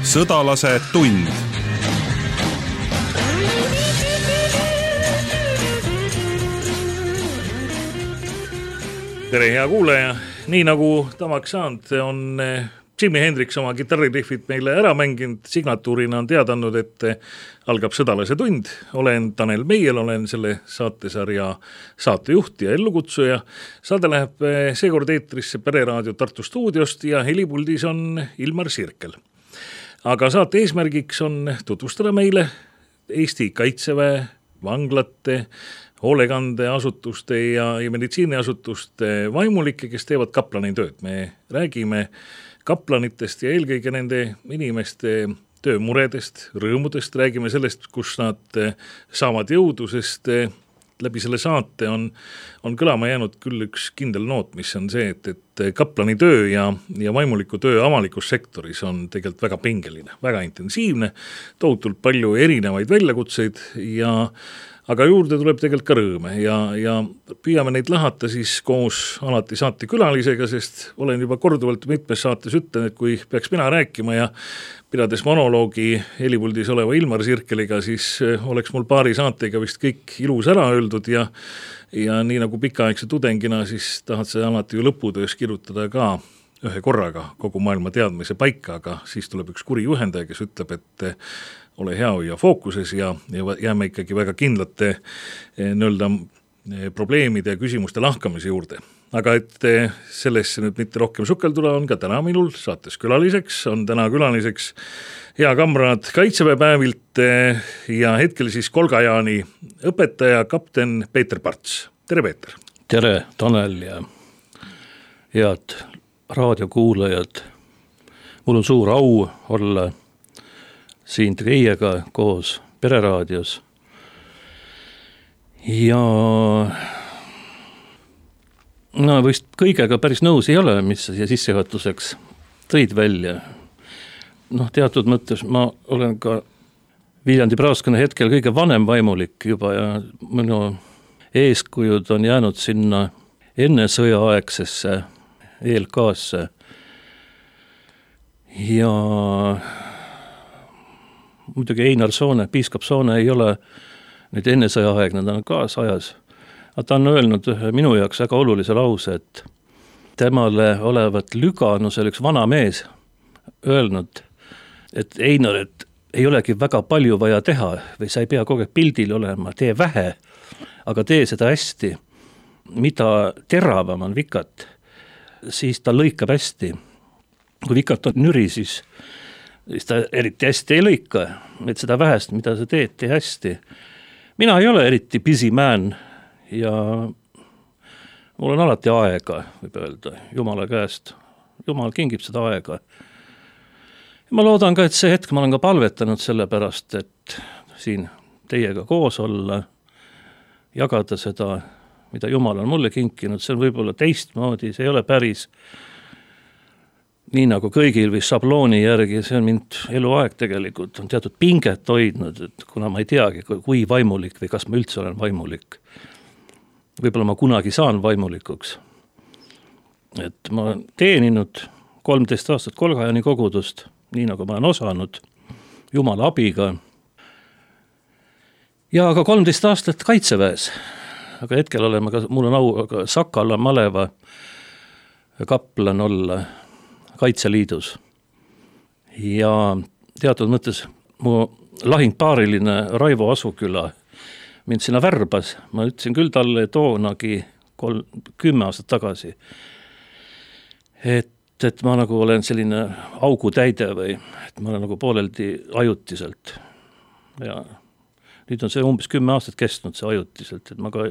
Sõdalase tund. Tere, hea kuulaja! Nii nagu tavaks saanud, on Jimi Hendrix oma kitarririhvid meile ära mänginud, signatuurina on teadanud, et algab Sõdalase tund. Olen Tanel Meiel, olen selle saatesarja saatejuht ja ellukutsuja. Saade läheb seekord eetrisse Pereraadio Tartu stuudiost ja helipuldis on Ilmar Sirkel. Aga saate eesmärgiks on tutvustada meile Eesti Kaitseväe, vanglate, hoolekandeasutuste ja meditsiiniasutuste vaimulikke, kes teevad kaplani tööd. Me räägime kaplanitest ja eelkõige nende inimeste töömuredest, rõõmudest, räägime sellest, kus nad saavad jõudu, sest läbi selle saate on kõlama jäänud küll üks kindel noot, mis on see, et kaplani töö ja vaimuliku töö avalikus sektoris on tegelikult väga pingeline, väga intensiivne, tohutult palju erinevaid väljakutseid aga juurde tuleb tegelikult ka rõõme ja püüame neid lahata siis koos alati saate külalisega, sest olen juba korduvalt mitmes saates ütlen, et kui peaks mina rääkima ja pidades monoloogi helipuldis oleva Ilmar Sirkeliga, siis oleks mul paari saatega vist kõik ilus ära öeldud ja nii nagu pikaaegse tudengina, siis tahad sa alati ju lõputöös kirjutada ka ühe korraga kogu maailma teadmise paika, aga siis tuleb üks kuri juhendaja, kes ütleb, et ole hea ja fookuses ja jääme ikkagi väga kindlate probleemide ja küsimuste lahkamise juurde. Aga et sellesse nüüd mitte rohkem sukelduda, on ka täna minul saates külaliseks, on täna külaliseks hea kamraad Kaitseväepäevilt ja hetkel siis Kolgajaani õpetaja kapten Peeter Parts. Tere, Peeter! Tere, Tanel ja head raadiokuulajad! Mul on suur au olla siin teiega koos Pereraadios. Ja vist kõigega päris nõus ei ole, mis sa siia sissejuhatuseks tõid välja. Teatud mõttes ma olen ka Viljandi Praaskonna hetkel kõige vanem vaimulik juba ja minu eeskujud on jäänud sinna enne sõjaaegsesse ELK-sse. Ja muidugi Einar Soone, piiskop Soone ei ole nüüd enne sõjaaegne, ta on kaasajas. Ta on öelnud minu jaoks väga olulise lause, et temale olevat Lüganus, üks vana mees, öelnud, et Einar, et ei olegi väga palju vaja teha või sa ei pea kogu aeg pildil olema, tee vähe, aga tee seda hästi. Mida teravam on vikat, siis ta lõikab hästi. Kui vikat on nüri, siis ta eriti hästi ei lõika, et seda vähest, mida sa teed, tee hästi. Mina ei ole eriti busy man ja mul on alati aega, võib öelda, Jumala käest. Jumal kingib seda aega. Ja ma loodan ka, et see hetk ma olen ka palvetanud selle pärast, et siin teiega koos olla, jagada seda, mida Jumal on mulle kinkinud, see on võib-olla teistmoodi, see ei ole päris nii nagu kõigil või šablooni järgi, see on mind eluaeg tegelikult, on teatud pinget hoidnud, et kuna ma ei teagi, kui vaimulik või kas ma üldse olen vaimulik. Võib-olla ma kunagi saan vaimulikuks. Et ma olen teeninud 13 aastat Kolgajaani kogudust, nii nagu ma olen osanud, Jumala abiga. Ja ka 13 aastat Kaitseväes. Aga hetkel oleme ka, mul on au ka Sakala maleva kaplan olla Kaitseliidus. Ja teatud mõttes mu lahingpaariline Raivo Asuküla mind sinna värbas. Ma ütlesin küll talle toonagi 10 aastat tagasi, et ma nagu olen selline augutäide või et ma olen nagu pooleldi ajutiselt. Ja nüüd on see umbes 10 aastat kestnud see ajutiselt, et ma ka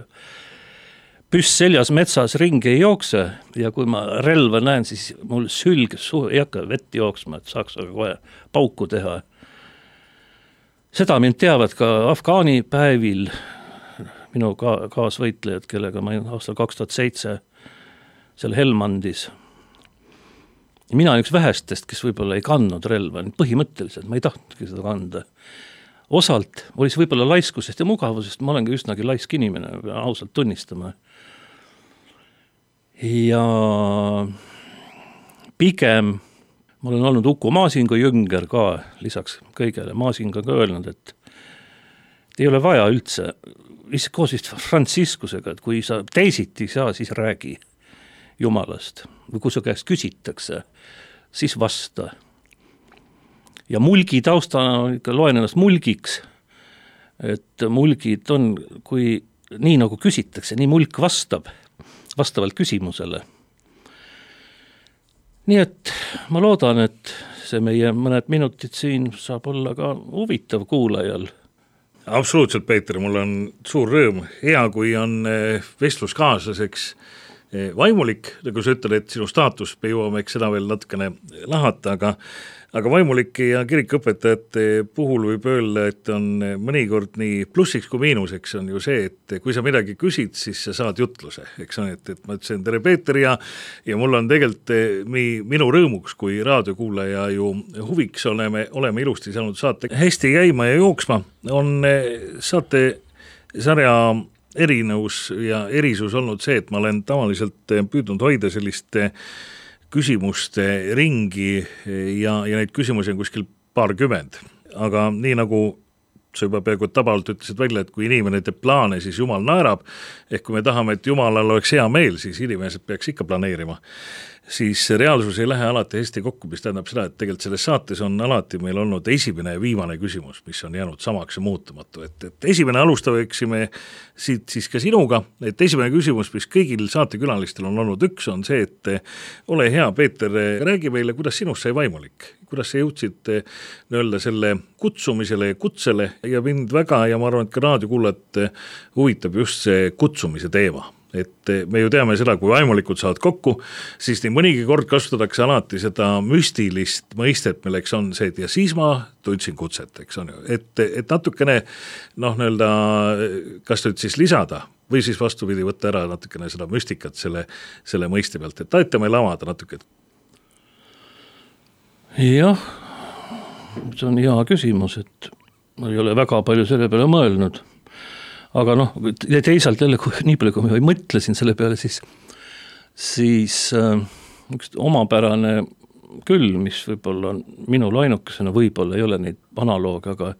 püss seljas metsas ringi ei jookse ja kui ma relva näen, siis mul sülg ei hakka vett jooksma, et saaks aga kohe pauku teha. Seda mind teavad ka Afgaani päevil minu kaasvõitlejad, kellega ma aastal 2007 seal Helmandis. Ja mina olen üks vähestest, kes võib-olla ei kandnud relva, põhimõtteliselt ma ei tahtnudki seda kanda. Osalt oli see võib-olla laiskusest ja mugavusest, ma olen ka üsnagi laisk inimene, ausalt tunnistama. Ja pigem ma olen olnud Uku Maasingu jünger ka, lisaks kõigele Maasinga ka öelnud, et ei ole vaja üldse, koos vist Franciscusega, et kui sa teisiti saa, siis räägi Jumalast. Või kui su käest küsitakse, siis vasta. Ja mulgi taustana ikka loen ennast mulgiks, et mulgid on, kui nii nagu küsitakse, nii mulk vastab, vastavalt küsimusele. Nii et ma loodan, et see meie mõned minutid siin saab olla ka huvitav kuulajal. Absoluutselt, Peeter, mul on suur rõõm. Hea, kui on vestluskaaslaseks vaimulik, nagu sa ütled, et sinu staatus, me jõuame seda veel natukene lahata, aga vaimulike ja kirikuõpetajate puhul võib öelda, et on mõnikord nii plussiks kui miinuseks on ju see, et kui sa midagi küsid, siis sa saad jutluse, eks on, et ma ütlesin tere Peeter ja mul on tegelikult minu rõõmuks, kui raadiokuulaja ju huviks oleme ilusti saanud saate hästi käima ja jooksma, on saate sarja erinevus ja erisus olnud see, et ma olen tavaliselt püüdnud hoida sellist küsimuste ringi ja neid küsimusi on kuskil 20, aga nii nagu sa juba peaaegu tabalt ütlesid välja, et kui inimene teeb plaane, siis Jumal naerab, ehk kui me tahame, et Jumalal oleks hea meel, siis inimesed peaks ikka planeerima, siis reaalsus ei lähe alati hästi kokku, mis tähendab seda, et tegelikult selles saates on alati meil olnud esimene ja viimane küsimus, mis on jäänud samaks ja muutumatu, et esimene alustaveksime siit siis ka sinuga, et esimene küsimus, mis kõigil saatekülalistel on olnud üks, on see, et ole hea, Peeter, räägi meile, kuidas sinust sai vaimulik, kuidas sa jõudsid öelda selle kutsumisele ja kutsele ja mind väga ja ma arvan, et ka raadiokuulajat huvitab just see kutsumise teema. Et me ju teame seda, kui vaimulikud saavad kokku, siis nii mõnigi kord kasutatakse alati seda müstilist mõistet, milleks on see, et ja siis ma tundsin kutset, eks on ju, et natukene nii-öelda, kas nüüd siis lisada või siis vastupidi võtta ära natukene seda müstikat selle mõiste pealt, et aita meil avada natuke. Jah, see on hea küsimus, et ma ei ole väga palju selle peale mõelnud. Aga teisalt jälle, nii palju kui ma mõtlesin selle peale, siis üks omapärane küll, mis võib-olla on minul ainukesena, võib-olla ei ole neid analoog, aga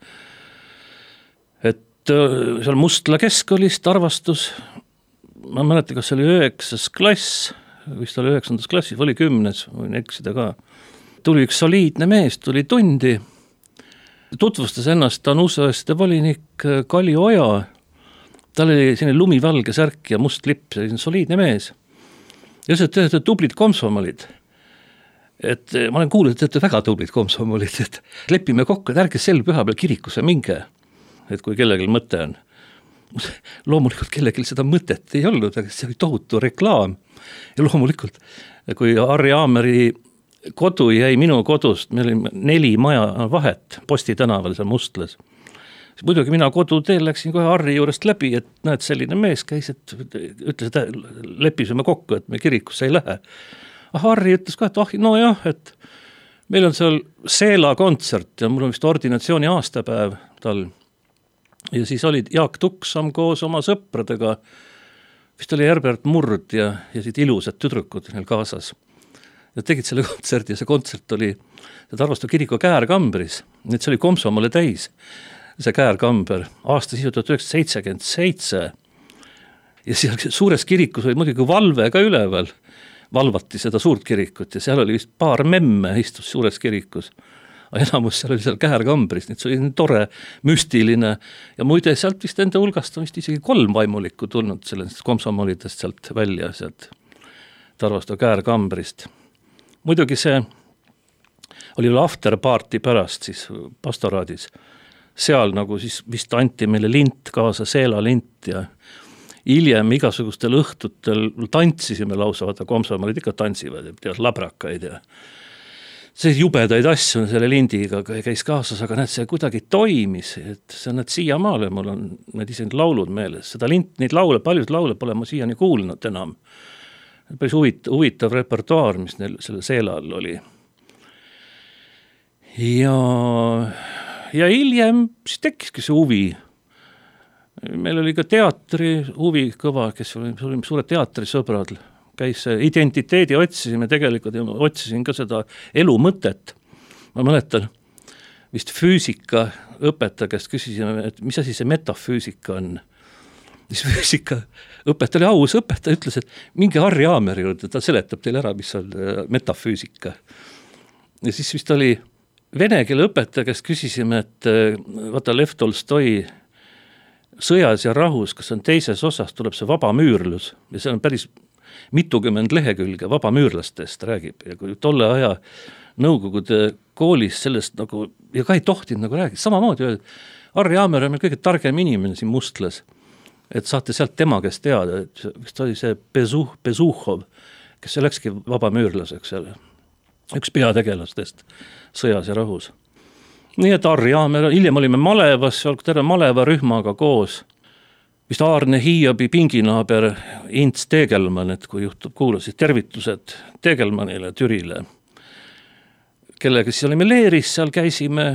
et seal Mustla keskkoolist arvastus, ma mäletan, kas see oli 9. klass, vist oli 9. klassis, oli 10, võin eksida ka. Tuli üks soliidne mees, tuli tundi, tutvustas ennast, ta on uusõeste volinik Kalli Oja, tal oli selline lumivalge särk ja must lipp, selline soliidne mees. Ja see teete tublid komsomolid. Et ma olen kuulnud, et teete väga tublid komsomolid, et lepime kokku, et ärge sel püha peal kirikusse minge, et kui kellelgi mõte on. Loomulikult kellelgi seda mõtet ei olnud, aga see oli tohutu reklaam. Ja loomulikult, kui Harri Aameri kodu jäi minu kodust, meil oli 4 maja vahet Posti tänaval seal Mustlas. Muidugi mina koduteel läksin kohe Harri juurest läbi, et näed, selline mees käis, et ütles, et leppisime kokku, et me kirikusse ei lähe. Harri ütles ka, et et meil on seal Seela kontsert ja mul on vist ordinatsiooni aastapäev tal. Ja siis olid Jaak Tuksam koos oma sõpradega, vist oli Herbert Murd ja siit ilusad tüdrukud neil kaasas. Ja tegid selle kontserti ja see kontsert oli Tarvastu kiriku Käärkambris, nüüd see oli komsomole täis. See Käärkamber, aasta 1977 ja seal suures kirikus oli muidugi valve ka üleval, valvati seda suurt kirikut ja seal oli vist paar memme istus suures kirikus, aga enamus seal oli seal Käärkambris, nii see oli tore, müstiline ja muide sealt vist enda hulgast on vist isegi 3 vaimulikku tulnud sellest komsomolidest sealt välja, sealt Tarvastu Käärkambrist. Muidugi see oli afterparty pärast siis pastoraadis, seal nagu siis vist anti meile lint kaasa, Seela lint ja hiljem igasugustel õhtutel tantsisime lausa, vaata komsomolid ikka tantsivad, tead labrakaid ja see jubedaid asju selle lindiga käis kaasas, aga näed, see kuidagi toimis, et see on need siiamaale, mul on need ise laulud meeles, seda lint, neid laule, paljud laule pole ma siiani kuulnud enam. Päris huvitav repertuaar, mis neil selle Seelal oli. Ja hiljem siis tekkiski see huvi. Meil oli ka teatri huvi kõva, kes oli suured teatrisõbrad, käis identiteedi otsisime, tegelikult otsisin ka seda elu mõtet. Ma mäletan, vist füüsika õpetaja käest küsisime, et mis asi see metafüüsika on. Siis füüsika õpetaja oli aus õpetaja, ütles, et minge Harri Aameri juurde, ta seletab teile ära, mis on metafüüsika. Ja siis vist oli vene keele õpetaja, kes küsisime, et vaata Lev Tolstoi Sõjas ja rahus, kas on teises osas, tuleb see vabamüürlus ja see on päris mitukümmend lehekülge vabamüürlastest räägib ja kui tolle aja Nõukogude koolis sellest nagu, ja ka ei tohtinud nagu räägida, samamoodi öeldi, Harri Aamer on meil kõige targem inimene siin Mustlas, et saate sealt tema käest teada, et vist oli see Bezuhov, kes läkski vabamüürlaseks seal, üks peategelastest Sõjas ja rahus. Nii et Harri Aamer, hiljem olime Malevas, terve Maleva rühmaga koos, vist Aarne Hiiobi pinginaaber Ints Tegelmann, et kui juhtub kuulasid tervitused Tegelmannile, Türile, kellega siis olime leeris, seal käisime,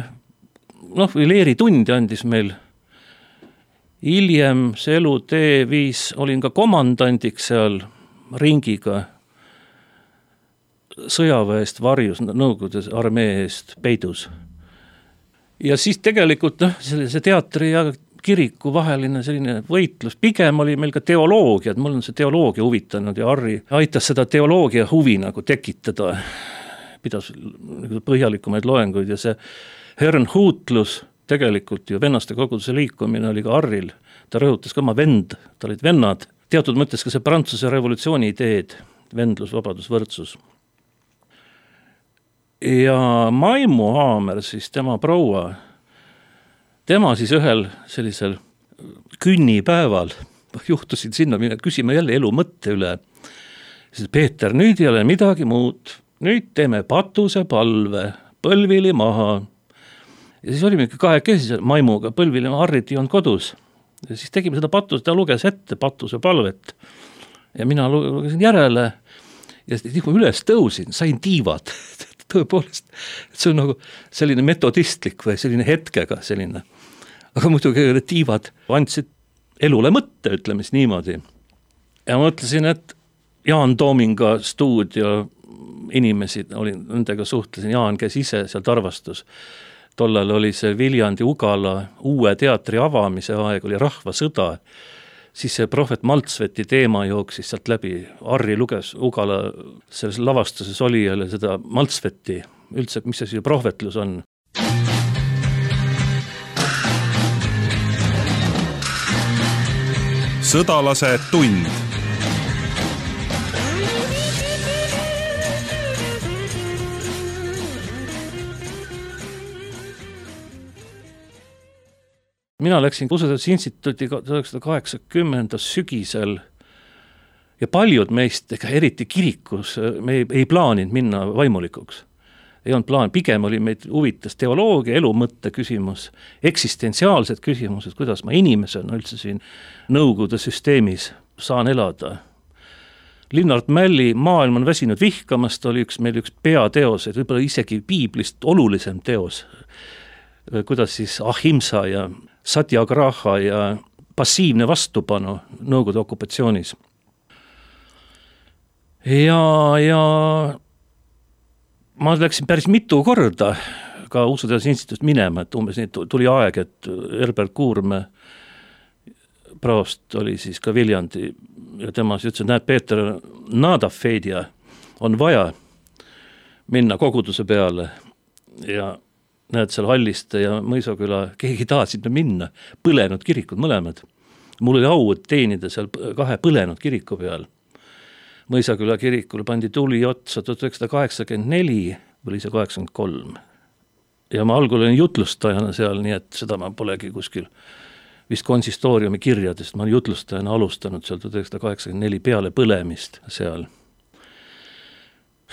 või leeritundi andis meil. Hiljem see elutee viis, olin ka komandandiks seal ringiga, sõjaväest varjus, Nõukogude armee eest peidus. Ja siis tegelikult see teatri ja kiriku vaheline selline võitlus, pigem oli meil ka teoloogia, et mul on see teoloogia huvitanud ja Harri aitas seda teoloogia huvi nagu tekitada, pidas põhjalikumaid loenguid ja see Herrnhutlus, tegelikult ju vennaste koguduse liikumine oli ka Harril, ta rõhutas ka oma vend, ta olid vennad, teatud mõttes ka see Prantsuse revolutsiooni ideed, vendlus, vabadus, võrdsus. Ja Maimu Haamer, siis tema proua, tema siis ühel sellisel künnipäeval juhtusin sinna minna, küsima jälle elu mõtte üle. Siis Peeter, nüüd ei ole midagi muud, nüüd teeme patuse palve, põlvili maha. Ja siis olime kahekesi Maimuga, põlvili Harrit ei olnud kodus. Ja siis tegime seda patuse, ta luges ette patuse palvet. Ja mina lugesin järele ja siis kui üles tõusin, sain tiivad. Tõepoolest, see on nagu selline metodistlik või selline hetkega selline. Aga muidugi tiivad andsid elule mõtte, ütleme siis niimoodi. Ja mõtlesin, et Jaan Toominga stuudio inimesi, nendega suhtlesin, Jaan käis ise seal Tarvastus. Tollal oli see Viljandi Ugala uue teatri avamise aeg, oli rahvasõda. Siis see prohvet Maltsveti teema jooksis sealt läbi. Harri luges Ugala selles lavastuses olijale seda Maltsveti, üldse, mis see prohvetlus on. Sõdalase tund. Mina läksin Usuteaduse Instituuti 1980 sügisel ja paljud meist, eriti kirikus, me ei plaaninud minna vaimulikuks. Ei olnud plaan, pigem oli meid huvitas teoloogia, elumõtte küsimus, eksistentsiaalsed küsimused, kuidas ma inimesena üldse siin Nõukogude süsteemis saan elada. Linnart Mälli Maailm on väsinud vihkamast oli meil üks peateos, et võib-olla isegi piiblist olulisem teos, kuidas siis ahimsa ja satyagraha ja passiivne vastupanu Nõukogude okupatsioonis. Ja ma läksin päris mitu korda ka Usuteaduse Instituudist minema, et umbes tuli aeg, et Herbert Kuurme praost oli siis ka Viljandi ja tema siis ütles, et näed, Peeter, Nadafedia on vaja minna koguduse peale ja näed seal Halliste ja Mõisaküla, keegi taha sinna minna, põlenud kirikud mõlemad. Mul oli au teenida seal 2 põlenud kiriku peal. Mõisaküla kirikul pandi tuli otsa 1984 või see 83. Ja ma algul olin jutlustajana seal, nii et seda ma polegi kuskil vist konsistooriumi kirjadest, ma olen jutlustajana alustanud seal 1984 peale põlemist seal.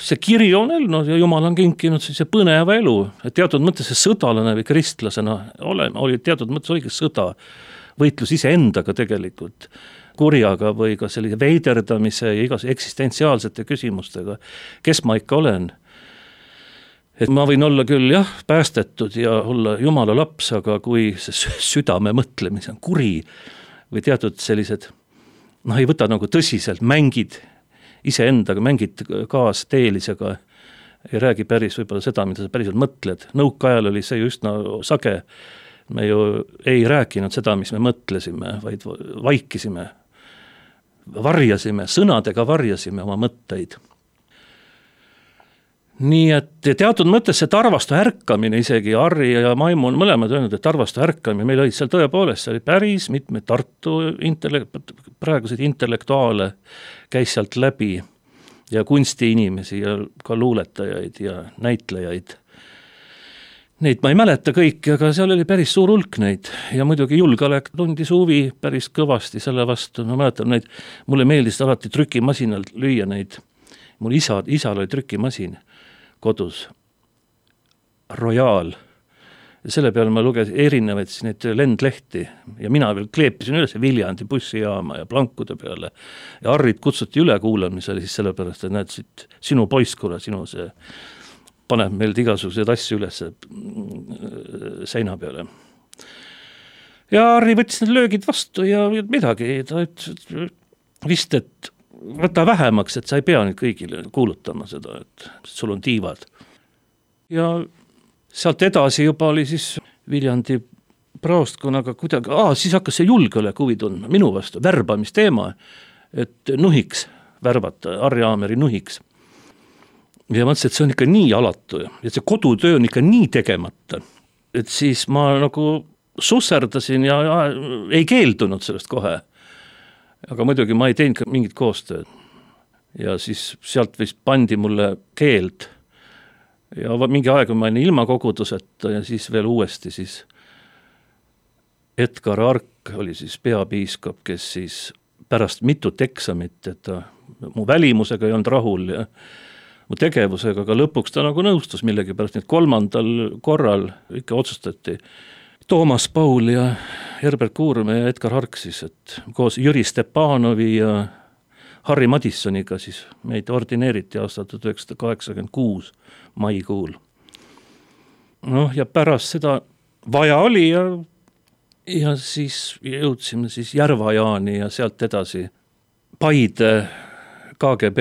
See kiri on elnud ja Jumal on kinkinud see põneva elu, et teatud mõttes see sõdalane või kristlasena oli teatud mõttes oligi sõda, võitlus ise endaga tegelikult, kurjaga või ka sellise veiderdamise ja igas eksistentsiaalsete küsimustega, kes ma ikka olen. Et ma võin olla küll päästetud ja olla Jumala laps, aga kui see südame mõtlemise on kuri või teatud sellised, ei võta nagu tõsiselt, mängid iseendaga, mängid kaas teelisega, ei räägi päris võib-olla seda, mida sa päriselt mõtled. Nõukaajal oli see just sage, me ju ei rääkinud seda, mis me mõtlesime, vaid vaikisime, varjasime, sõnadega varjasime oma mõtteid. Nii et teatud mõttes see tarvastu ärkamine, isegi Harri ja Maimu on mõlemad öelnud, et tarvastu ärkamine, meil olid seal tõepoolest, see oli päris mitmed Tartu praeguseid intellektuaale käis sealt läbi ja kunstiinimesi ja ka luuletajaid ja näitlejaid. Neid ma ei mäleta kõiki, aga seal oli päris suur hulk neid ja muidugi julgeolek tundis huvi päris kõvasti selle vastu. Ma mäletan neid, mulle meeldis alati trükimasinal lüüa neid. Mul isal oli trükimasin kodus, Royal. Ja selle peale ma lugesin erinevaid neid lendlehti ja mina veel kleepisin üles Viljandi bussijaama ja plankude peale. Ja Harrit kutsuti üle kuulamisele siis sellepärast, et näed siit sinu poiskule, sinu see paneb meilt igasuguseid asju üles seina peale. Ja Harri võttis need löögid vastu ja midagi, ta ütles vist, et võta vähemaks, et sa ei pea nüüd kõigile kuulutama seda, et sul on tiivad. Ja sealt edasi juba oli siis Viljandi praostkonnaga kuidagi, siis hakkas see julgeolek huvi tundma minu vastu, värbamisteema, et nuhiks värbata, Harri Aameri nuhiks. Ja mõtlesin, et see on ikka nii alatu ja see kodutöö on ikka nii tegemata, et siis ma nagu susserdasin ja ei keeldunud sellest kohe. Aga muidugi ma ei teinud ka mingit koostööd. Ja siis sealt vist pandi mulle keeld. Ja mingi aeg ma olin ilma koguduseta ja siis veel uuesti siis Edgar Ark oli siis peapiiskop, kes siis pärast mitut eksamit, et mu välimusega ei olnud rahul ja mu tegevusega, aga lõpuks ta nagu nõustus millegi pärast, nii et 3. korral ikka otsustati Toomas Paul ja Herbert Kuurme ja Edgar Hark siis, et koos Jüri Stepanovi ja Harri Madissoniga siis meid ordineeriti aastal 1986 maikuul. Noh, ja pärast seda vaja oli ja siis jõudsime siis Järvajaani ja sealt edasi Paide KGB,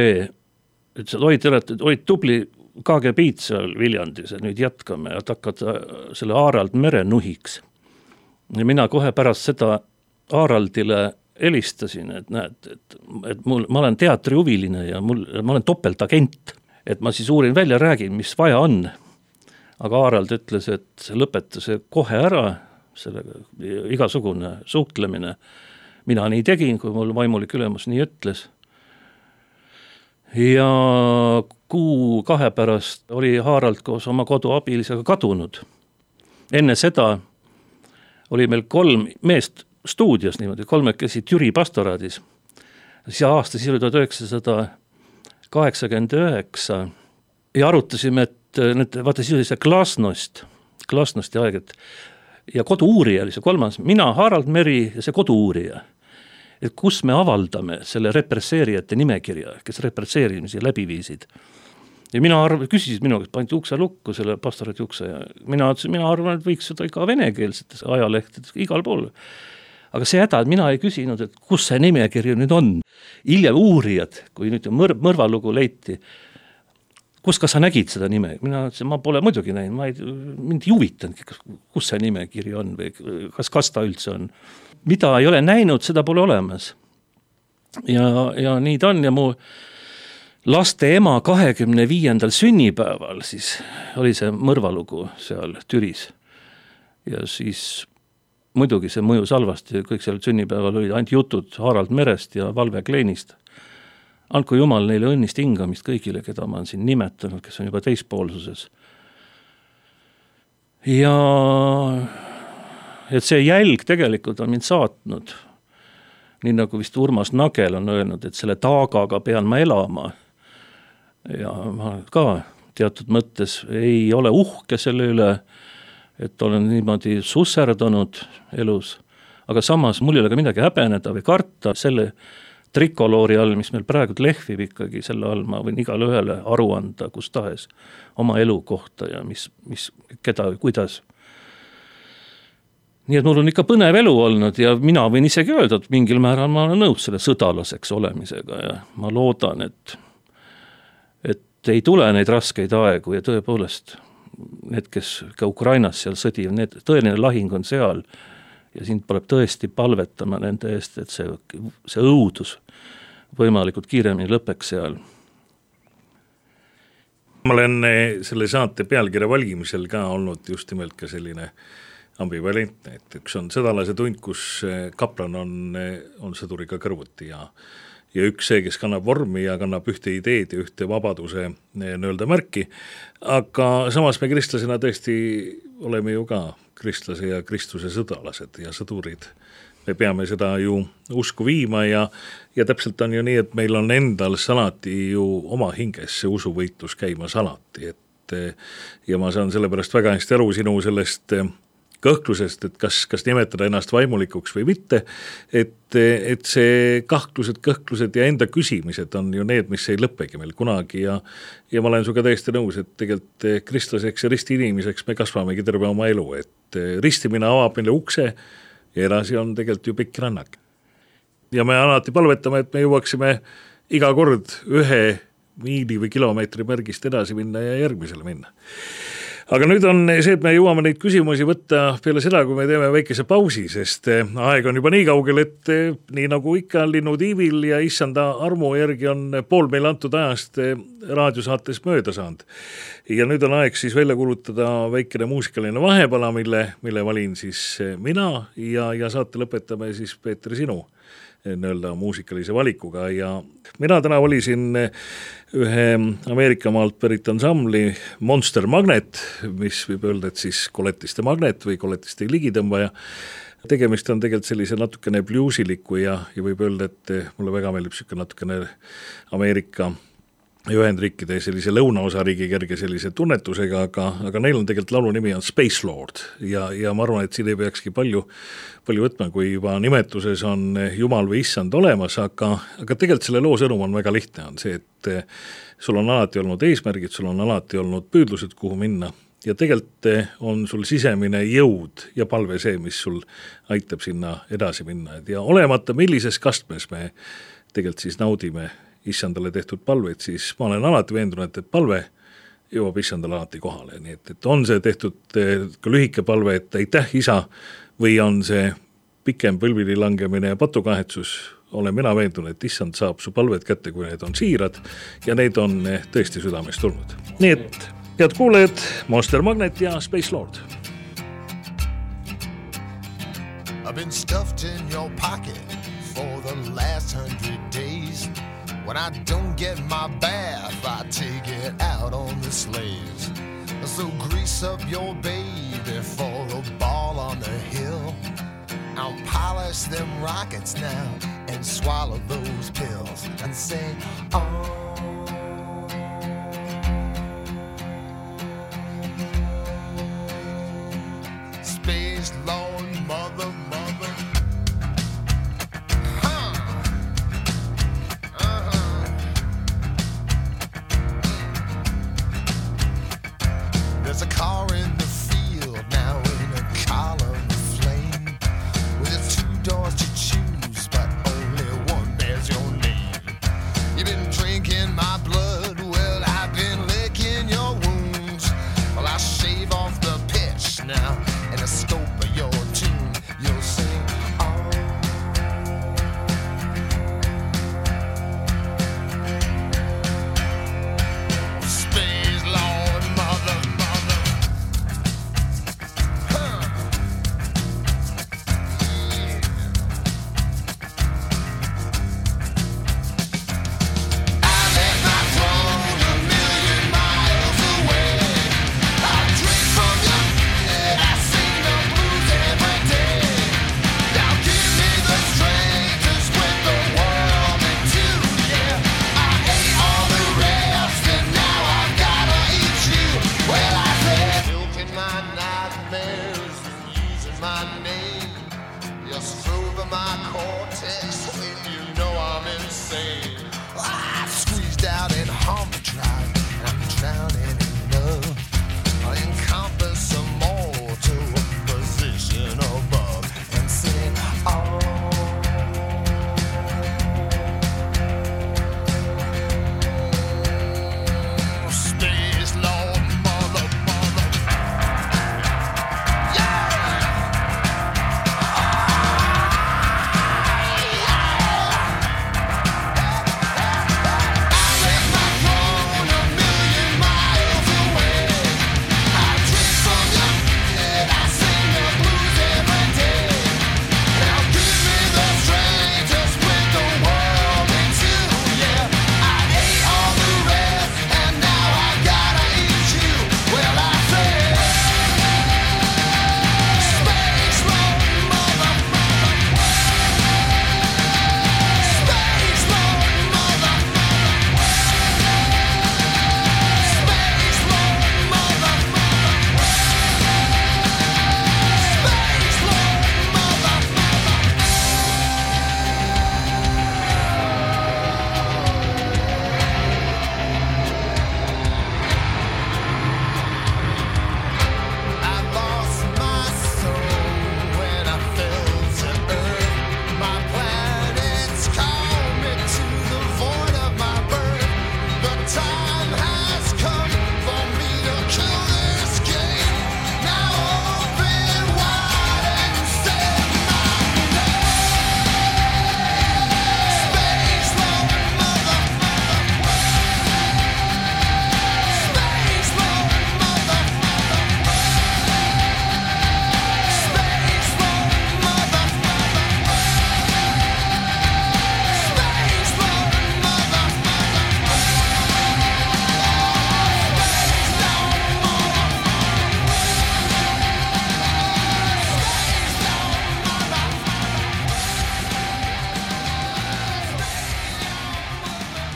et olid tubli KGB-d seal Viljandis, et nüüd jätkame, et hakkad selle Aarald mere nuhiks. Ja mina kohe pärast seda Aaraldile helistasin, et näed, et ma olen teatrihuviline ja ma olen topeltagent, et ma siis uurin välja, räägin, mis vaja on. Aga Aarald ütles, et lõpeta see kohe ära, sellega igasugune suhtlemine. Mina nii tegin, kui mul vaimulik ülemus nii ütles. Ja 2 pärast oli Haarald koos oma koduabilisega kadunud. Enne seda oli meil 3 meest stuudios niimoodi, 3 käisid Jüri pastoraadis. See aasta siis oli 1989 ja arutasime, et vaata siis oli see Glasnosti aeg, ja kodu-uurija oli see 3. Mina, Harald Meri ja see kodu-uurija. Et kus me avaldame selle represseerijate nimekirja, kes represseerimisi läbi viisid. Ja küsisid minu, kes pandi ukse lukku, selle pastorati ukse, ja mina arvan, et võiks seda iga venekeelsetes ajalehtedes, igal pool. Aga see häda, et mina ei küsinud, et kus see nimekiri nüüd on. Hiljem uurijad, kui nüüd mõrvalugu leiti, kus ka sa nägid seda nime? Mina ütlesin, ma pole muidugi näinud, mind ei huvitanud, kus see nimekiri on või kas ta üldse on. Mida ei ole näinud, seda pole olemas. Ja nii ta on ja mu laste ema 25. sünnipäeval siis oli see mõrvalugu seal Türis. Ja siis muidugi see mõjus halvasti, kõik seal sünnipäeval olid ainult jutud Harald Merest ja Valve Kleinist. Andku Jumal neile õnnist hingamist kõigile, keda ma olen siin nimetanud, kes on juba teispoolsuses. Ja et see jälg tegelikult on mind saatnud, nii nagu vist Urmas Nagel on öelnud, et selle taagaga pean ma elama. Ja ma ka teatud mõttes ei ole uhke selle üle, et olen niimoodi susserdanud elus, aga samas mul ei ole ka midagi häbeneda või karta selle trikoloori all, mis meil praegu lehvib ikkagi, selle all ma võin igale ühele aru anda, kus tahes oma elu kohta ja mis keda või kuidas. nii et mul on ikka põnev elu olnud ja mina võin isegi öelda, et mingil määral ma olen nõus selle sõdalaseks olemisega ja ma loodan, et ei tule neid raskeid aegu ja tõepoolest need, kes ka Ukrainas seal sõdivad, need tõeline lahing on seal ja sind tuleb tõesti palvetama nende eest, et see õudus võimalikult kiiremini lõpeks seal. Ma olen selle saate pealkirja valgimisel ka olnud just nimelt ka selline ambivalentne, et üks on sõdalase tund, kus kaplan on sõduriga kõrvuti ja üks see, kes kannab vormi ja kannab ühte ideed ja ühte vabaduse nõelda märki, aga samas me kristlasena tõesti oleme ju ka kristlase ja Kristuse sõdalased ja sõdurid. Me peame seda ju usku viima ja täpselt on ju nii, et meil on endal salati ju oma hinges see usuvõitlus käimas alati, ja ma saan sellepärast väga hästi aru sinu sellest kõhklusest, et kas nimetada ennast vaimulikuks või mitte, et see kõhklused ja enda küsimised on ju need, mis ei lõppegi meil kunagi ja ma olen suga täiesti nõus, et tegelikult kristlaseks ja risti inimeseks me kasvamegi terve oma elu, et ristimine avab meile ukse ja edasi on tegelikult ju pikk rannak. Ja me alati palvetame, et me jõuaksime iga kord 1 miili või kilomeetri märgist edasi minna ja järgmisele minna. Aga nüüd on see, et me jõuame neid küsimusi võtta peale seda, kui me teeme väikese pausi, sest aeg on juba nii kaugel, et nii nagu ikka linnutiivil ja issanda armu järgi on pool meile antud ajast raadiosaates mööda saanud. Ja nüüd on aeg siis välja kuulutada väikene muusikaline vahepala, mille valin siis mina ja saate lõpetame siis Peeter sinu nõelda muusikalise valikuga ja mina täna valisin ühe Ameerika maalt pärit ansambli Monster Magnet, mis võib öelda, et siis koletiste magnet või koletiste ligitõmbaja. Tegemist on tegelikult sellise natukene bluesiliku ja võib öelda, et mulle väga meeldib siuke natukene Ameerika Ühendriikide sellise lõunaosariigi kerge sellise tunnetusega, aga neil on tegelikult laulu nimi on Space Lord ja ma arvan, et siin ei peakski palju võtma, kui juba nimetuses on Jumal või Issand olemas, aga tegelikult selle loo sõnum on väga lihtne, on see, et sul on alati olnud eesmärgid, sul on alati olnud püüdlused, kuhu minna ja tegelikult on sul sisemine jõud ja palve see, mis sul aitab sinna edasi minna ja olemata millises kastmes me tegelikult siis naudime Issandale tehtud palveid, siis ma olen alati veendunud, et palve jõuab Issandale alati kohale, nii et on see tehtud ka lühike palve, et aitäh isa, või on see pikem põlvili langemine ja patukahetsus, olen mina veendunud, et Issand saab su palved kätte, kui need on siirad ja need on tõesti südamest tulnud. Nii et head kuulejad, Monster Magnet ja Space Lord. I've been stuffed in your pocket for the last 100 days. When I don't get my bath, I take it out on the sleighs. So grease up your baby for the ball on the hill. I'll polish them rockets now and swallow those pills and say, oh. Space Lord, mother. There's a car in the field now in a column of flame with its 2 doors to choose, but only one bears your name. You've been drinking my blood, well, I've been licking your wounds. Well, I'll shave off the pitch now and the scope of your tune. You'll sing, oh. Space Lord, mother.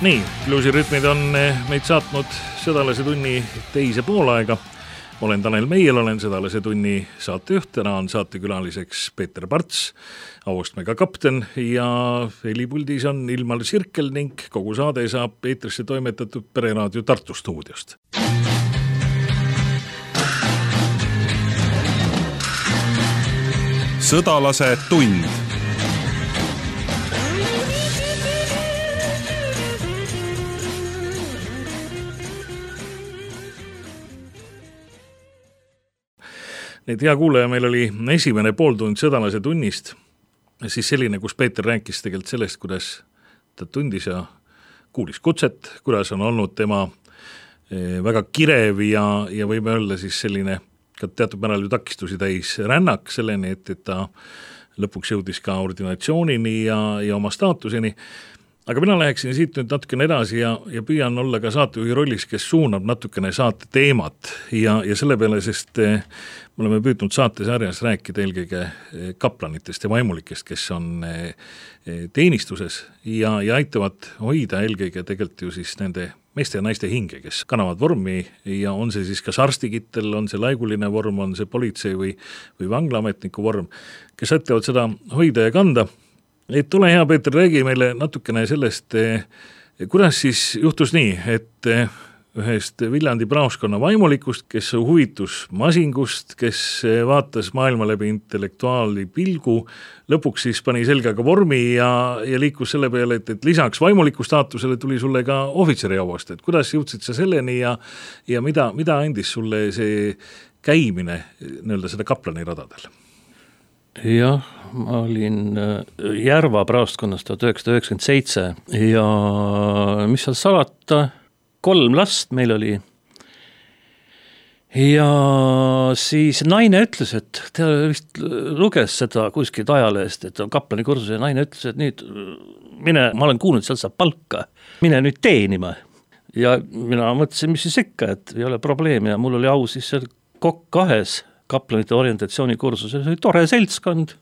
Nii, bluusirütmid on meid saatnud Sõdalase tunni teise poolaega. Olen Tanel Meiel, olen Sõdalase tunni saatejuht, täna on saatekülaliseks Peeter Parts, Auastmega kapten ja helipuldis on Ilmar Sirkel ning kogu saade saab eetrisse toimetatud Pereraadio Tartu stuudiost. Sõdalase tund. Nii, hea kuulaja, meil oli esimene pooltund Sõdalase tunnist, siis selline, kus Peeter rääkis tegelikult sellest, kuidas ta tundis ja kuulis kutset, kuidas on olnud tema väga kirev ja võime öelda siis selline ka teatud määral ju takistusi täis rännak selleni, et ta lõpuks jõudis ka ordinatsioonini ja oma staatuseni. Aga mina läheksin siit nüüd natukene edasi ja püüan olla ka saatejuhi rollis, kes suunab natukene saate teemat ja selle peale, sest me oleme püüdnud saatesarjas rääkida eelkõige kaplanitest ja vaimulikest, kes on teenistuses ja aitavad hoida eelkõige tegelikult ju siis nende meeste ja naiste hinge, kes kannavad vormi ja on see siis kas arstikittel, on see laiguline vorm, on see politsei või vanglaametniku vorm, kes aitavad seda hoida ja kanda. Et ole hea, Peeter, räägi meile natukene sellest, kuidas siis juhtus nii, et ühest Viljandi praoskonna vaimulikust, kes huvitus masingust, kes vaatas maailma läbi intellektuaali pilgu, lõpuks siis pani selgaga vormi ja liikus selle peale, et lisaks vaimuliku staatusele tuli sulle ka ohvitseri auast, et kuidas jõudsid sa selleni ja mida andis sulle see käimine nii-öelda seda kaplani radadel? Jah, ma olin Järva praostkonnas 1997 ja mis seal salata, 3 last meil oli. Ja siis naine ütles, et ta vist luges seda kuskilt ajalehest, et on kaplani kursus ja naine ütles, et nüüd mine, ma olen kuulnud, seal saab palka, mine nüüd teenima. Ja mina mõtlesin, mis siis ikka, et ei ole probleemi ja mul oli au siis seal Kokk 2 kaplanite orientatsiooni kursus, see oli tore seltskond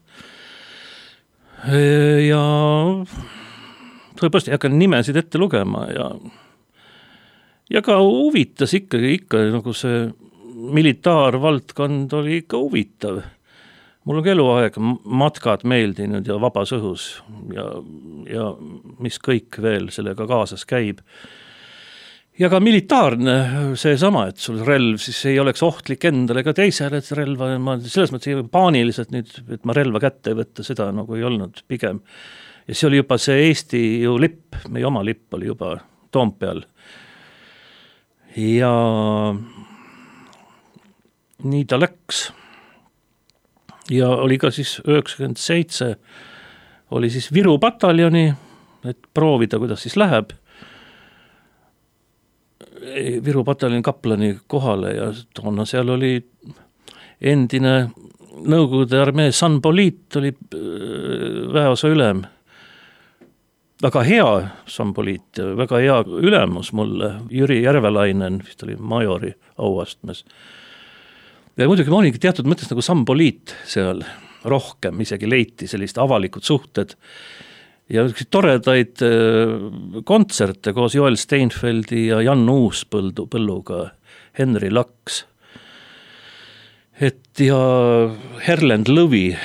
ja tõepoolest ei hakka nimesid ette lugema ja ka huvitas ikka nagu see militaarvaldkond oli ikka huvitav. Mul on eluaeg matkad meeldinud ja vabas õhus ja mis kõik veel sellega kaasas käib. Ja ka militaarne see sama, et sul relv siis ei oleks ohtlik endale ega teisele, et relva, ma selles mõttes paaniliselt nüüd, et ma relva kätte ei võtta, seda nagu ei olnud pigem. Ja see oli juba see Eesti ju lipp, meie oma lipp oli juba Toompeal. Ja nii ta läks. Ja oli ka siis 97, oli siis Viru pataljoni, et proovida, kuidas siis läheb. Viru pataljoni kaplani kohale ja toona seal oli endine Nõukogude armee Sanpoliit oli väeosa ülem. Väga hea Sanpoliit, väga hea ülemus mulle, Jüri Järvelainen, vist oli majori auastmes. Ja muidugi ma oligi teatud mõttes nagu Sanpoliit seal rohkem, isegi leiti sellist avalikud suhted ja toredaid kontserte koos Joel Steinfeldi ja Jan Uuspõlluga, Henri Laks, et ja Herlend Lõvi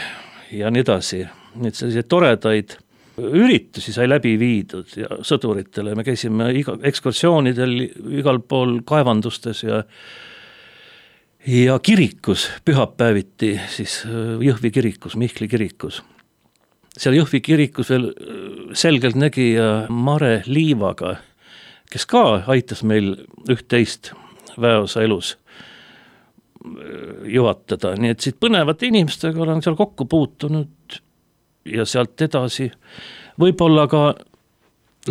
ja nii edasi. Need sellised toredaid üritusi sai läbi viidud ja sõduritele. Me käisime ekskursioonidel igal pool kaevandustes ja kirikus, pühapäeviti, siis Jõhvi kirikus, Mihkli kirikus. Seal Jõhvi kirikus veel selgelt nägija Mare Liivaga, kes ka aitas meil üht-teist väeosa elus juhatada. Nii et siit põnevate inimestega olen seal kokku puutunud ja sealt edasi. Võib-olla ka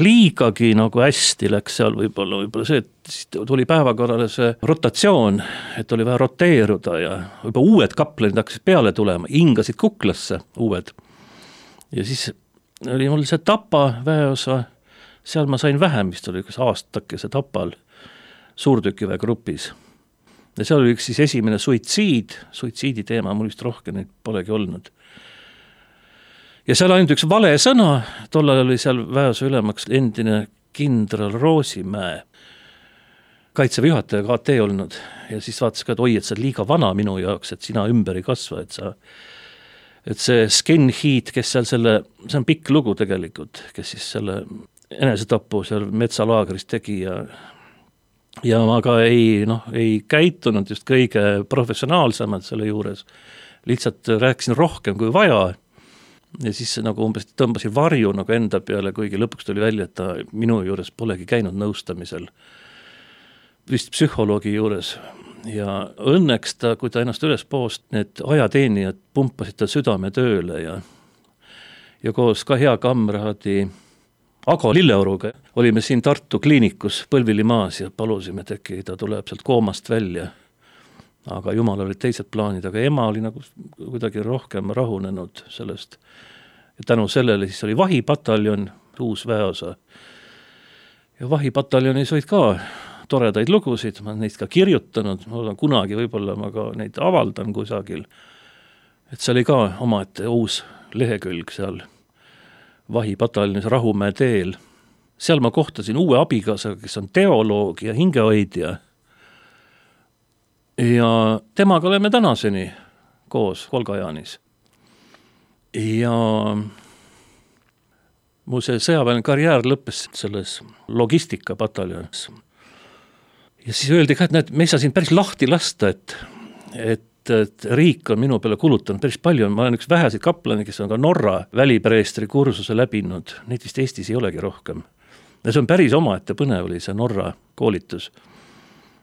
liigagi nagu hästi läks seal võib-olla see, et tuli päevakorrale see rotatsioon, et oli vaja roteeruda ja juba uued kaplanid hakkasid peale tulema, hingasid kuklasse uued. Ja siis oli mul see Tapa väeosa, seal ma sain vähem, vist oli üks aastakese Tapal suurtükiväe grupis. Ja seal oli üks siis esimene suitsiidi teema, mul vist rohkem neid polegi olnud. Ja seal ainult üks vale sõna, tollal oli seal väeosa ülemaks endine kindral Roosimäe, kaitseväe juhataja KT olnud ja siis vaatas ka, et oi, et sa oled liiga vana minu jaoks, et sina ümber ei kasva, et see Sken Heat, kes seal see on pikk lugu tegelikult, kes siis selle enesetapu seal metsalaagris tegi ja ma ka ei käitunud just kõige professionaalsemad selle juures, lihtsalt rääkisin rohkem kui vaja ja siis nagu umbes tõmbasin varju nagu enda peale, kuigi lõpuks tuli välja, et ta minu juures polegi käinud nõustamisel, vist psühholoogi juures ja õnneks ta, kui ta ennast üles poost, need ajateenijad pumpasid ta südame tööle ja koos ka hea kamraadi Ago Lilleoruga olime siin Tartu kliinikus Põlvilimaas ja palusime, et äkki ta tuleb sealt koomast välja. Aga jumal olid teised plaanid, aga ema oli nagu kuidagi rohkem rahunenud sellest. Ja tänu sellele siis oli vahipataljon, uus väeosa. Ja vahipataljonis olid ka toredaid lugusid, ma neist ka kirjutanud, ma olen kunagi võib-olla ma ka neid avaldan kusagil. Et see oli ka omaette uus lehekülg seal vahipataljonis Rahumäe teel. Seal ma kohtasin uue abikaasa, kes on teoloog ja hingehoidja. Ja temaga oleme tänaseni koos Volgajaanis. Ja mu see sõjaväeline karjäär lõppes selles logistikapataljonis. Ja siis öeldi ka, et näed, me ei saa siin päris lahti lasta, et riik on minu peale kulutanud päris palju. Ma olen üks väheseid kaplani, kes on ka Norra välipreestri kursuse läbinud. Neid vist Eestis ei olegi rohkem. Ja see on päris omaette põnev oli see Norra koolitus.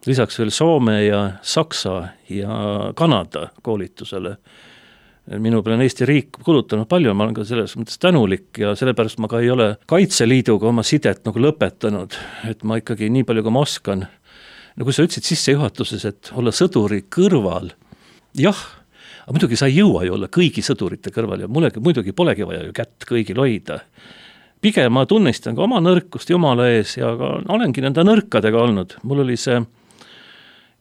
Lisaks veel Soome ja Saksa ja Kanada koolitusele. Minu peale on Eesti riik kulutanud palju, ma olen ka selles mõttes tänulik ja sellepärast ma ka ei ole Kaitseliiduga oma sidet nagu lõpetanud, et ma ikkagi nii palju, kui ma oskan. No kui sa ütlesid sissejuhatuses, et olla sõduri kõrval, jah, aga muidugi sa ei jõua ju olla kõigi sõdurite kõrval ja muidugi polegi vaja ju kätt kõigil hoida. Pigem ma tunnistan ka oma nõrkust Jumala ees ja ka olengi nende nõrkadega olnud. Mul oli see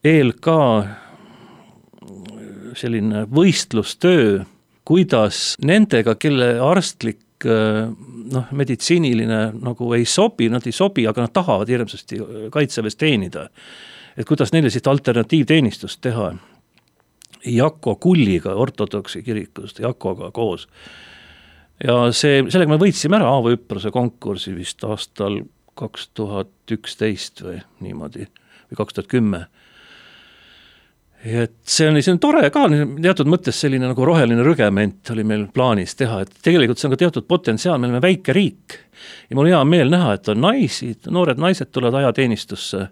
ELK selline võistlustöö, kuidas nendega, kelle arstlik meditsiiniline nagu ei sobi, nad ei sobi, aga nad tahavad hirmsasti kaitseväes teenida. Et kuidas neile siit alternatiivteenistust teha. Jako Kulliga ortodoksi kirikust, Jakoga koos. Ja sellega me võitsime ära Aavo-Üprose konkursi vist aastal 2011 või niimoodi, või 2010. Et see on tore ka, teatud mõttes selline nagu roheline rügement oli meil plaanis teha, et tegelikult see on ka teatud potentsiaal, me oleme väike riik ja mul hea meel näha, et on naisi, noored naised tulevad ajateenistusse.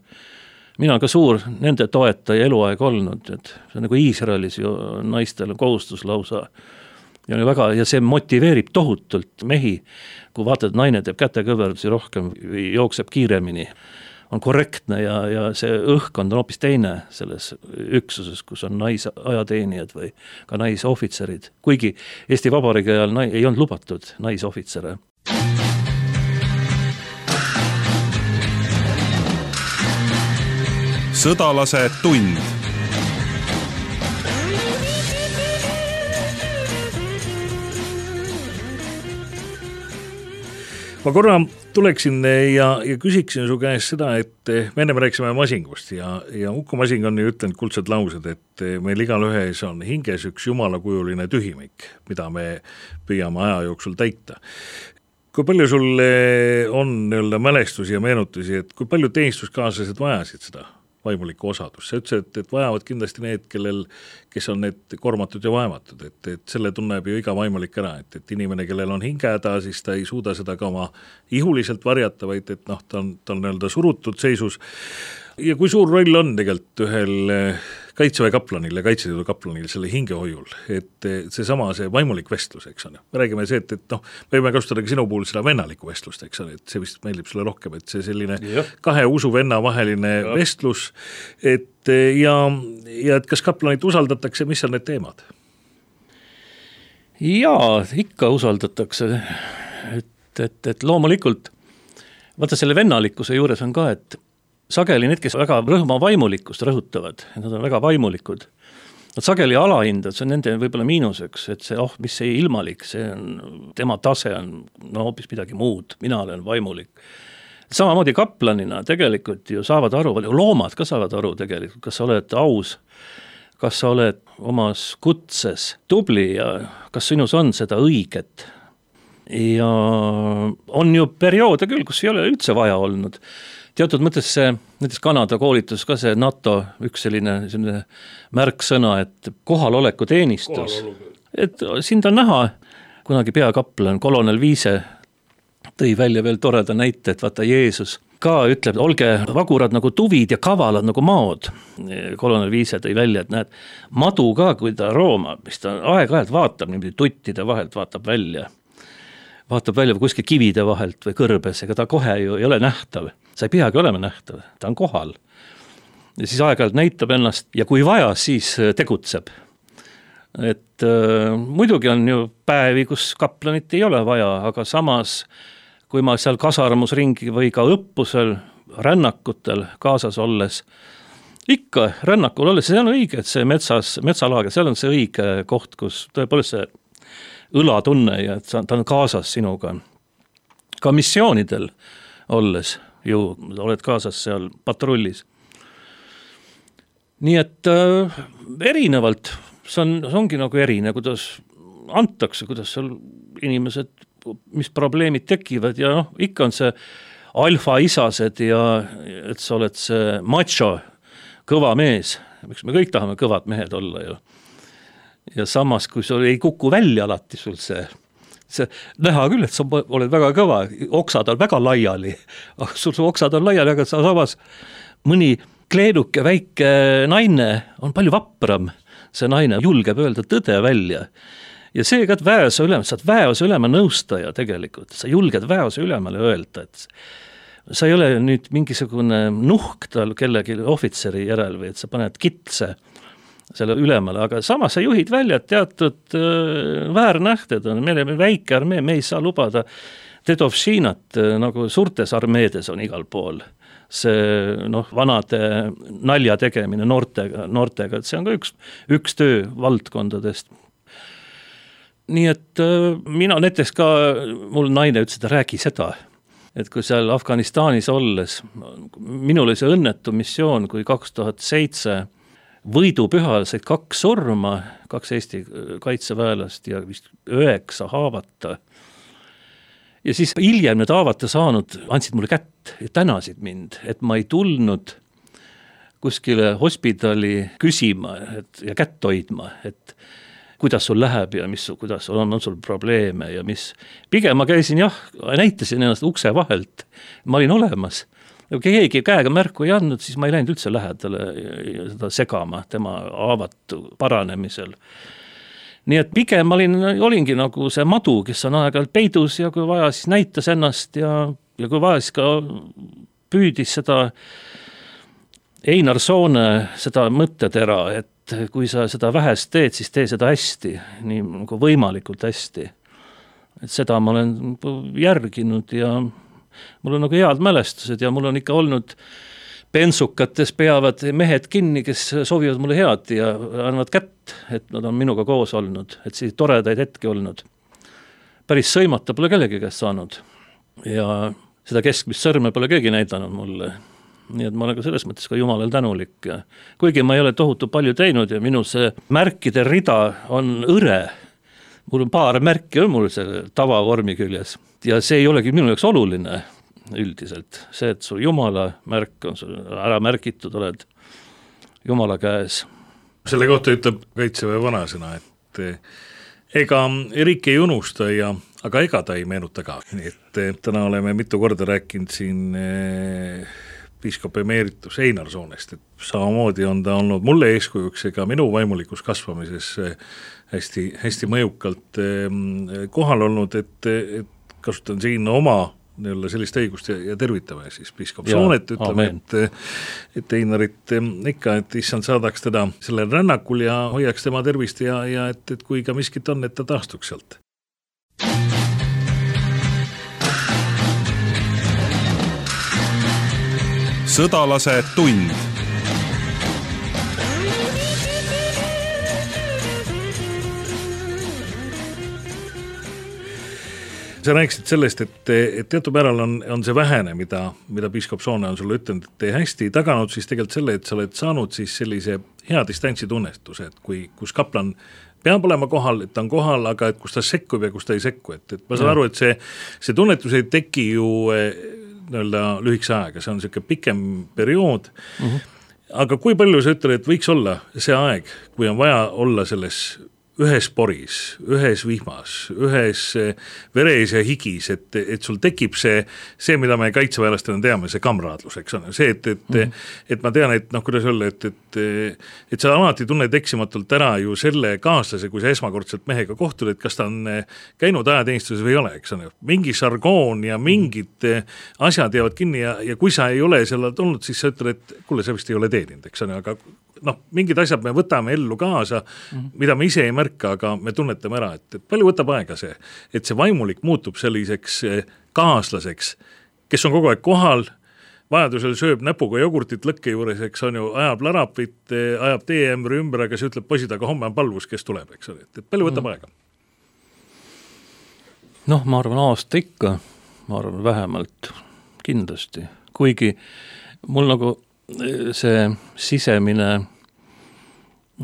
Mina olen ka suur nende toetaja eluaeg olnud, et see on nagu Iisraelis ju naistel kohustus lausa ja see motiveerib tohutult mehi, kui vaatad, naine teeb kätekõverdusi rohkem, jookseb kiiremini, on korrektne ja see õhkkond on hoopis teine selles üksuses, kus on naisajateenijad või ka naisohvitserid. Kuigi Eesti Vabariigi ajal ei olnud lubatud naisohvitsere. Sõdalase tund. Ma korra tuleksin ja küsiksin su käest seda, et me enne rääkisime masingust ja Uku Masing on ju ütlenud kuldsed laused, et meil igal ühes on hinges üks jumalakujuline tühimik, mida me püüame aja jooksul täita. Kui palju sul on mälestusi ja meenutusi, et kui palju teenistuskaaslased vajasid seda vaimulikku osadust? Sa ütlesid, et vajavad kindlasti need, kes on need kormatud ja vaematud, et selle tunneb ju iga vaimulik ära, et inimene, kellel on hingehäda, siis ta ei suuda seda ka oma ihuliselt varjata, vaid et ta on surutud seisus. Ja kui suur roll on tegelikult ühel kaitseväe kaplanil ja kaitseliidu kaplanil selle hingehoiul, et see vaimulik vestlus, eks on. Me räägime see, et me võime kasutada ka sinu puhul seda vennalikku vestlust, eks on, et see vist meeldib sulle rohkem, et see selline kahe usuvenna vaheline vestlus, et kas kaplanit usaldatakse, mis on need teemad? Jaa, ikka usaldatakse, et loomulikult, vaata selle vennalikkuse juures on ka, et sageli need, kes väga rõhma vaimulikkust rõhutavad, et nad on väga vaimulikud, nad sageli alahindavad, see on nende võib-olla miinuseks, et see, mis see ilmalik, see on, tema tase on hoopis midagi muud, mina olen vaimulik. Samamoodi kaplanina tegelikult ju saavad aru, loomad ka saavad aru tegelikult, kas sa oled aus, kas sa oled omas kutses tubli ja kas sinus on seda õiget. Ja on ju perioode küll, kus ei ole üldse vaja olnud. Teatud mõttes see, näiteks Kanada koolitus ka see NATO üks selline märksõna, et kohaloleku teenistus. Et sind on näha, kunagi peakaplan, kolonel Viise tõi välja veel toreda näite, et vaata Jeesus ka ütleb, olge vagurad nagu tuvid ja kavalad nagu maod. Kolonel Viise tõi välja, et näed, madu ka, kui ta roomab, mis ta aeg-ajalt vaatab, niimoodi tuttide vahelt vaatab välja kuskil kivide vahelt või kõrbes, ega ta kohe ju ei ole nähtav. Sa ei peagi olema nähtav, ta on kohal. Ja siis aeg-ajalt näitab ennast ja kui vaja, siis tegutseb. Et muidugi on ju päevi, kus kaplanit ei ole vaja, aga samas, kui ma seal kasarmusringi või ka õppusel, rännakutel kaasas olles, ikka rännakul olles, see on õige, et see metsalaager, seal on see õige koht, kus tõepoolest see õlatunne ja et ta on kaasas sinuga. Ka missioonidel olles ju oled kaasas seal patrullis. Nii et erinevalt, see ongi nagu erine, kuidas antakse, kuidas seal inimesed, mis probleemid tekivad ja ikka on see alfa-isased ja et sa oled see macho, kõva mees, miks me kõik tahame kõvad mehed olla ju. Ja samas, kui sul ei kuku välja alati sul see näha küll, et sa oled väga kõva, oksad on väga laiali, sul oksad on laiali, aga samas mõni kleenuke väike naine on palju vapram, see naine julgeb öelda tõde välja. Ja see, et väeose ülema, sa oled väeose ülema nõustaja tegelikult, sa julged väeose ülemale öelda, et sa ei ole nüüd mingisugune nuhk tal kellegi ohvitseri järel või et sa paned kitse selle ülemale, aga samas sa juhid välja teatud väärnähted on, meil on väike armee, me ei saa lubada dedovšinat, nagu suurtes armeedes on igal pool. See vanade nalja tegemine noortega, et see on ka üks töö valdkondadest. Nii et mina näiteks ka, mul naine ütles, et räägi seda, et kui seal Afganistanis olles, minul oli see õnnetu missioon, kui 2007 võidupühal said 2 surma, 2 Eesti kaitseväelast ja vist 9 haavata. Ja siis hiljem need haavata saanud andsid mulle kätt ja tänasid mind, et ma ei tulnud kuskile hospitali küsima ja kätt hoidma, et kuidas sul läheb ja kuidas on sul probleeme ja mis. Pigem ma käisin näitasin ennast ukse vahelt, ma olin olemas. Kui keegi käega märku ei andnud, siis ma ei läinud üldse lähedale seda segama tema haavatu paranemisel. Nii et pigem olingi nagu see madu, kes on aeg-ajalt peidus ja kui vaja, siis näitas ennast ja kui vaja, siis ka püüdis seda Einar Soone seda mõttetera, et kui sa seda vähest teed, siis tee seda hästi, nii nagu võimalikult hästi. Et seda ma olen järginud ja mul on nagu head mälestused ja mul on ikka olnud pensukates peavad mehed kinni, kes soovivad mulle head ja annavad kätt, et nad on minuga koos olnud, et siis toredaid hetki olnud. Päris sõimata pole kellegi käest saanud ja seda keskmist sõrme pole keegi näidanud mulle. Nii et ma olen ka selles mõttes ka Jumalal tänulik. Kuigi ma ei ole tohutu palju teinud ja minu see märkide rida on õre. Mul on paar märki on mul selle tavavormi küljes ja see ei olegi minu jaoks oluline üldiselt. See, et sul Jumala märk on sul ära märgitud, oled Jumala käes. Selle kohta ütleb Kaitseväe vanasõna, et ega riik ei unusta aga ega ta ei meenuta ka. Nii et täna oleme mitu korda rääkinud siin piiskop emeritus Einar Soonest, et samamoodi on ta olnud mulle eeskujuks ega minu vaimulikus kasvamises hästi, hästi mõjukalt kohal olnud, et kasutan siin oma sellist õigust ja tervitame siis piiskop Soonet, ütleme, et Einarit ikka, et issand saadaks teda sellel rännakul ja hoiaks tema tervist ja et kui ka miskit on, et ta taastuks sealt. Sõdalase tund. sa rääkisid sellest, et teatud määral on see vähene, mida piiskop Soone on sulle ütelnud, et hästi taganud siis tegelikult selle, et sa oled saanud siis sellise hea distantsi tunnestuse, et kus kaplan peab olema kohal, et ta on kohal, aga et kus ta sekkub ja kus ta ei sekku, et ma saan aru, et see tunnetus ei teki ju lühikese aega, see on selline pikem periood, aga kui palju sa ütled, et võiks olla see aeg, kui on vaja olla selles ühes poris, ühes vihmas, ühes veres ja higis, et sul tekib see, mida me kaitseväelastena teame, see kamraadlus, eks on see, et ma tean, et kuidas öelda, et sa alati tunned eksimatult ära ju selle kaaslase, kui sa esmakordselt mehega kohtud, et kas ta on käinud ajateenistuses või ei ole, eks on mingi žargoon ja mingid asjad jäävad kinni ja kui sa ei ole seal olnud, siis sa ütled, et kuule, sa vist ei ole teeninud, eks on, aga mingid asjad me võtame ellu kaasa, mida me ise ei märka, aga me tunnetame ära, et palju võtab aega see, et see vaimulik muutub selliseks kaaslaseks, kes on kogu aeg kohal, vajadusel sööb näpuga jogurtit lõkke juures, eks on ju, ajab larapit, ajab teeämbri ümber, aga see ütleb poisid, aga homme on palvus, kes tuleb, eks ole, et palju võtab aega? Ma arvan aasta ikka, ma arvan vähemalt kindlasti, kuigi mul nagu see sisemine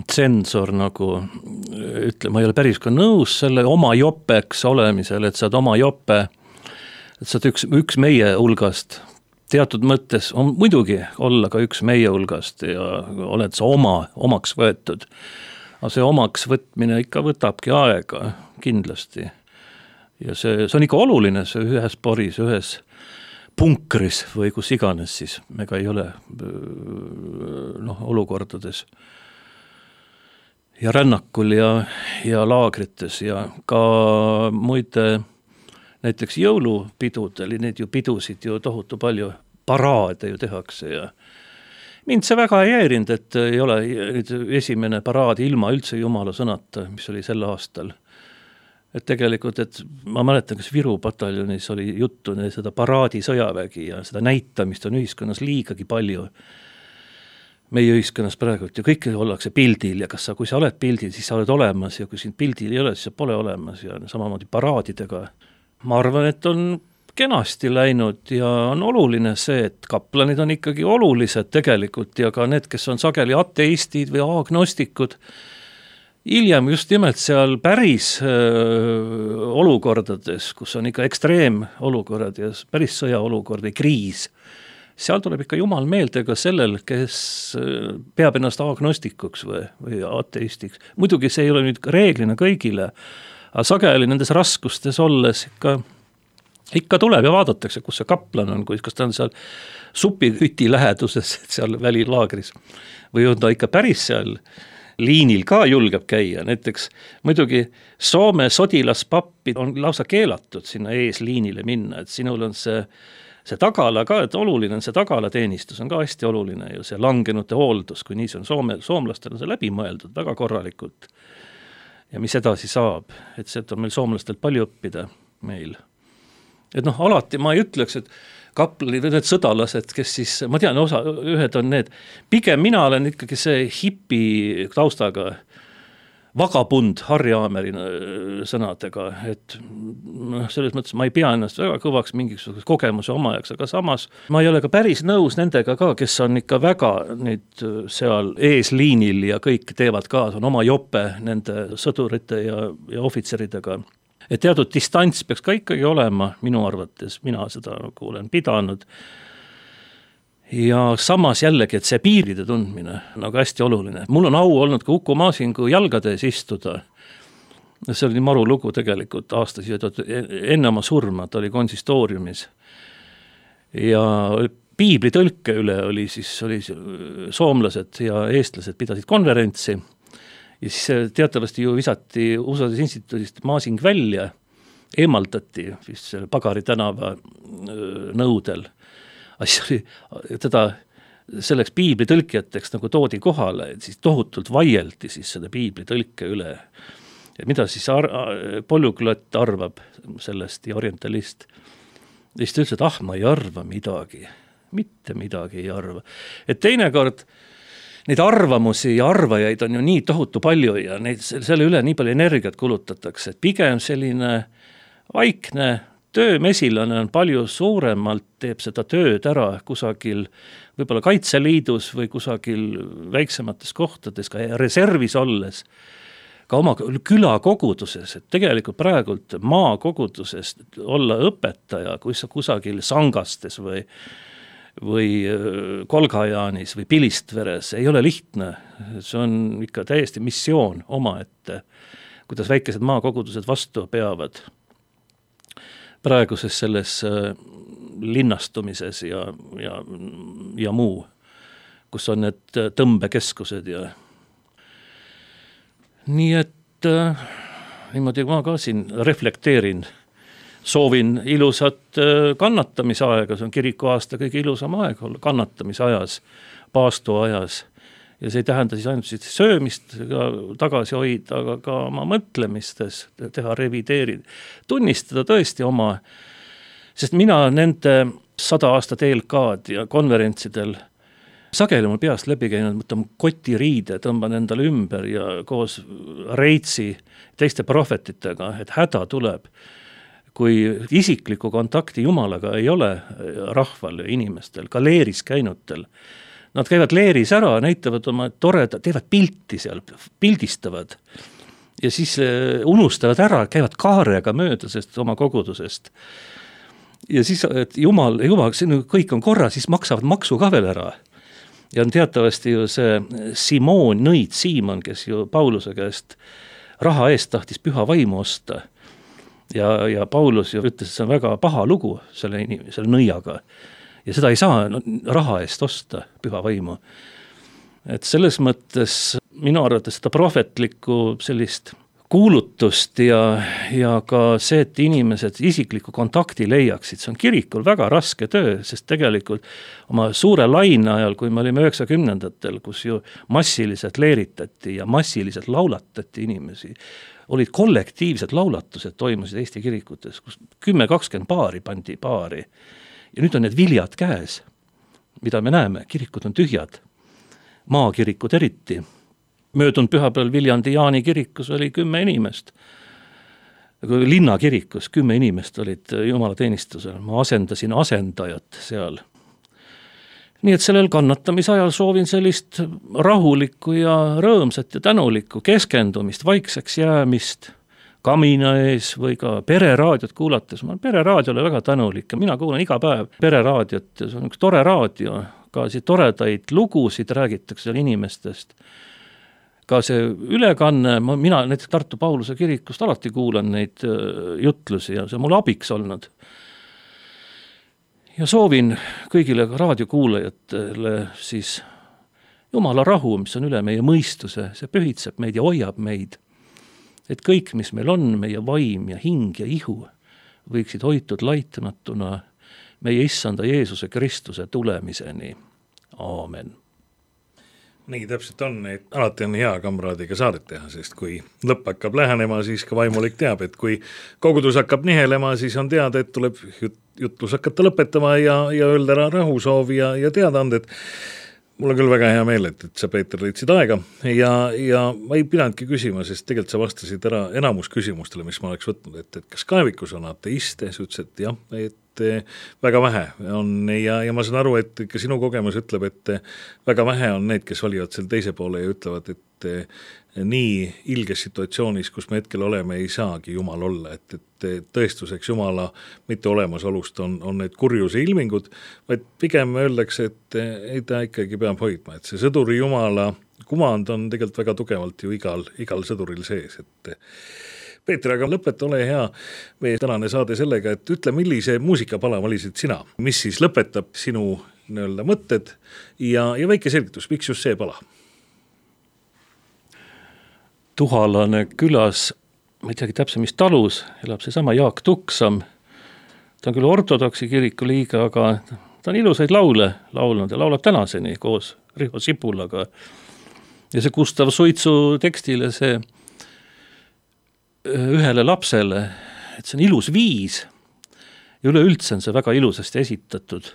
tsensor nagu ütle, ma ei ole päris ka nõus selle oma jopeks olemisel, et sa oled oma jope, et sa oled üks meie hulgast, teatud mõttes on muidugi olla ka üks meie hulgast ja oled sa omaks võetud, aga see omaks võtmine ikka võtabki aega kindlasti ja see on ikka oluline, see ühes poris, ühes punkris või kus iganes siis, me ka ei ole olukordades ja rännakul ja laagrites ja ka muide näiteks jõulupidudel, neid ju pidusid ju tohutu palju, paraade ju tehakse ja mind see väga ei häirinud, et ei ole esimene paraad ilma üldse jumala sõnata, mis oli sel aastal. Et tegelikult, et ma mäletan, kas Viru pataljonis oli juttu seda paraadi sõjavägi ja seda näitamist on ühiskonnas liigagi palju. Meie ühiskonnas praegu, ja kõik ollakse pildil ja kui sa oled pildil, siis sa oled olemas ja kui sind pildil ei ole, siis sa pole olemas ja samamoodi paraadidega. Ma arvan, et on kenasti läinud ja on oluline see, et kaplanid on ikkagi olulised tegelikult ja ka need, kes on sageli ateistid või agnostikud, hiljem just nimelt seal päris olukordades, kus on ikka ekstreemolukorrad ja päris sõjaolukord või kriis, seal tuleb ikka jumal meelde ka sellel, kes peab ennast agnostikuks või ateistiks. Muidugi see ei ole nüüd reeglina kõigile, aga sageli nendes raskustes olles ikka tuleb ja vaadatakse, kus see kaplan on, kas ta on seal supihüti läheduses, seal välilaagris või on ta ikka päris seal liinil ka julgeb käia, näiteks muidugi Soome sodilaspappi on lausa keelatud sinna eesliinile minna, et sinul on see tagala ka, et oluline on see tagalateenistus, on ka hästi oluline ju see langenute hooldus, kui nii see on soomlastel on see läbi mõeldud väga korralikult ja mis edasi saab, et see on meil soomlastelt palju õppida meil. Et alati ma ei ütleks, et kaplanid või need sõdalased, kes siis, ma tean, ühed on need, pigem mina olen ikkagi see hipi taustaga vagabund Harri Aameri sõnadega, et selles mõttes ma ei pea ennast väga kõvaks mingisuguse kogemuse omajaks, aga samas ma ei ole ka päris nõus nendega ka, kes on ikka väga nüüd seal eesliinil ja kõik teevad ka, on oma jope nende sõdurite ja ohvitseridega. Et teatud distants peaks ka ikkagi olema minu arvates, mina seda nagu olen pidanud ja samas jällegi, et see piiride tundmine on nagu hästi oluline. Mul on au olnud ka Uku Maasingu jalgades istuda, see oli maru lugu tegelikult aastas, enne oma surma, ta oli konsistooriumis ja piibli tõlke üle oli soomlased ja eestlased pidasid konverentsi ja siis teatavasti ju visati USA-des instituudist Maasing välja, eemaldati vist selle Pagari tänava nõudel. Teda selleks piiblitõlkijateks nagu toodi kohale, et siis tohutult vaieldi siis selle piiblitõlke üle. Ja mida siis polüglott arvab sellest ja orientalist? Ja siis ta ütles, et ma ei arva midagi, mitte midagi ei arva. Et teinekord neid arvamusi ja arvajaid on ju nii tohutu palju ja neid, selle üle nii palju energiat kulutatakse, et pigem selline vaikne töömesilane on palju suuremalt, teeb seda tööd ära kusagil võib-olla Kaitseliidus või kusagil väiksemates kohtades, ka reservis olles, ka oma külakoguduses, et tegelikult praegult maakoguduses olla õpetaja, kui sa kusagil Sangastes või Kolgajaanis või Pilistveres ei ole lihtne, see on ikka täiesti missioon omaette, kuidas väikesed maakogudused vastu peavad praeguses selles linnastumises ja muu, kus on need tõmbekeskused ja nii et niimoodi ma ka siin reflekteerin, soovin ilusat kannatamisaega, see on kirikuaasta kõige ilusam aeg olla kannatamisajas, paastuajas ja see ei tähenda siis ainult söömist tagasi hoida, aga ka oma mõtlemistes teha tunnistada tõesti oma, sest mina nende 100 aastat ELK-d ja konverentsidel sageli mul peast läbi käinud, mõtlen kotiriide, tõmban endale ümber ja koos Reitsi teiste prohvetitega, et häda tuleb, kui isikliku kontakti Jumalaga ei ole rahval ja inimestel, ka leeris käinutel. Nad käivad leeris ära, näitavad oma toreda, teevad pilti seal, pildistavad ja siis unustavad ära, käivad kaarega mööda sest oma kogudusest. Ja siis, et Jumal, kõik on korra, siis maksavad maksu ka veel ära. Ja on teatavasti ju see Siimon, kes ju Pauluse käest raha eest tahtis püha vaimu osta. Ja Paulus ju ütles, et see on väga paha lugu selle nõiaga. Ja seda ei saa raha eest osta, püha vaimu. Et selles mõttes minu arvates seda prohvetlikku sellist kuulutust ja ka see, et inimesed isikliku kontakti leiaksid, see on kirikul väga raske töö, sest tegelikult oma suure laine ajal, kui me olime 90-ndatel, kus ju massiliselt leeritati ja massiliselt laulatati inimesi, olid kollektiivsed laulatused, toimusid Eesti kirikutes, kus 10-20 paari pandi paari. Ja nüüd on need viljad käes, mida me näeme, kirikud on tühjad, maakirikud eriti. Möödunud pühapäeval Viljandi Jaani kirikus oli 10 inimest. Linnakirikus 10 inimest olid jumalateenistusel. Ma asendasin asendajat seal. Nii et sellel kannatamisajal soovin sellist rahulikku ja rõõmsat ja tänulikku keskendumist, vaikseks jäämist, kamina ees või ka pereraadiot kuulates. Ma olen pereraadiole väga tänulik ja mina kuulan iga päev pereraadiot ja see on üks tore raadio. Ka siin toredaid lugusid räägitakse seal inimestest. Ka see ülekanne, mina näiteks Tartu Pauluse kirikust alati kuulan neid jutlusi ja see on mul abiks olnud. Ja soovin kõigile raadiokuulajatele siis Jumala rahu, mis on üle meie mõistuse, see pühitseb meid ja hoiab meid. Et kõik, mis meil on, meie vaim ja hing ja ihu, võiksid hoitud laitamatuna meie issanda Jeesuse Kristuse tulemiseni. Aamen. Nii täpselt on, et alati on hea kamraadiga saadet teha, sest kui lõpp hakkab lähenema, siis ka vaimulik teab, et kui kogudus hakkab nihelema, siis on teada, et tuleb jutlus hakata lõpetama ja öelda ära rahusoovi ja teadaanded. Mul on küll väga hea meel, et sa, Peeter, leidsid aega ja ma ei pidanudki küsima, sest tegelikult sa vastasid ära enamus küsimustele, mis ma oleks võtnud, et kas kaevikus on ateiste, sa ütlesid, et jah, et väga vähe on ja ma saan aru, et ka sinu kogemus ütleb, et väga vähe on need, kes valivad selle teise poole ja ütlevad, et nii ilges situatsioonis, kus me hetkel oleme, ei saagi Jumal olla, et tõestuseks Jumala mitte olemasolust on need kurjuse ilmingud, vaid pigem öeldakse, et ei ta ikkagi peab hoidma, et see sõduri Jumala kumand on tegelikult väga tugevalt ju igal sõduril sees, et Peeter, aga lõpeta, ole hea meie tänane saade sellega, et ütle, millise muusikapala valisid sina, mis siis lõpetab sinu mõtted ja väike selgitus, miks just see pala? Tuhalane külas, ma ei teagi täpselt, mis talus, elab seesama Jaak Tuksam. Ta on küll ortodoksi kiriku liige, aga ta on ilusaid laule laulnud ja laulab tänaseni koos Riho Sipulaga. Ja see Gustav Suitsu tekstile see ühele lapsele, et see on ilus viis ja üleüldse on see väga ilusasti esitatud.